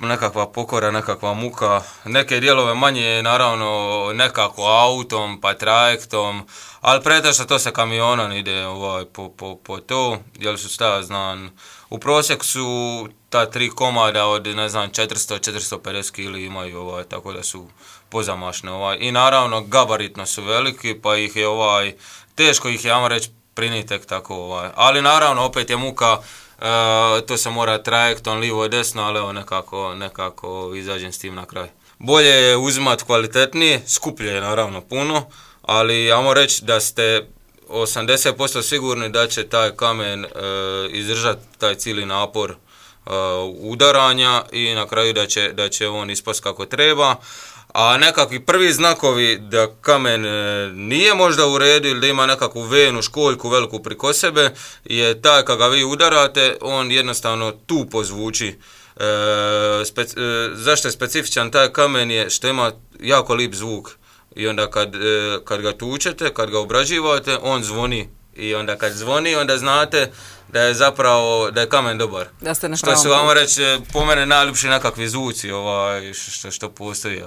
nekakva pokora, nekakva muka. Neke dijelove manje naravno nekako autom pa trajektom, ali pretežno to sa kamionom ide po to, jer su šta znam, u prosjek su ta 3 komada od ne znam 400-450 kg imaju, tako da su pozamašne. I naravno gabaritno su veliki, pa ih je teško ih je, ajmo reći, priniti tek tako. Ali naravno opet je muka, to se mora trajektom lijevo i desno, ali evo nekako izađem s tim na kraj. Bolje je uzimati kvalitetnije, skuplje je naravno puno, ali ajmo reći da ste 80% sigurni da će taj kamen izdržati taj cijeli napor udaranja i na kraju da će on ispast kako treba. A nekakvi prvi znakovi da kamen nije možda u redu ili da ima nekakvu venu, školjku veliku priko sebe je taj kad ga vi udarate, on jednostavno tu pozvuči. Zašto je specifičan taj kamen je što ima jako lip zvuk i onda kad ga tučete, kad ga obrađivate, on zvoni. I onda kad zvoni, onda znate da je zapravo, da je kamen dobar. Da ste na što su, vamo reći, po mene najljepši nekakvi zvuci što postoji.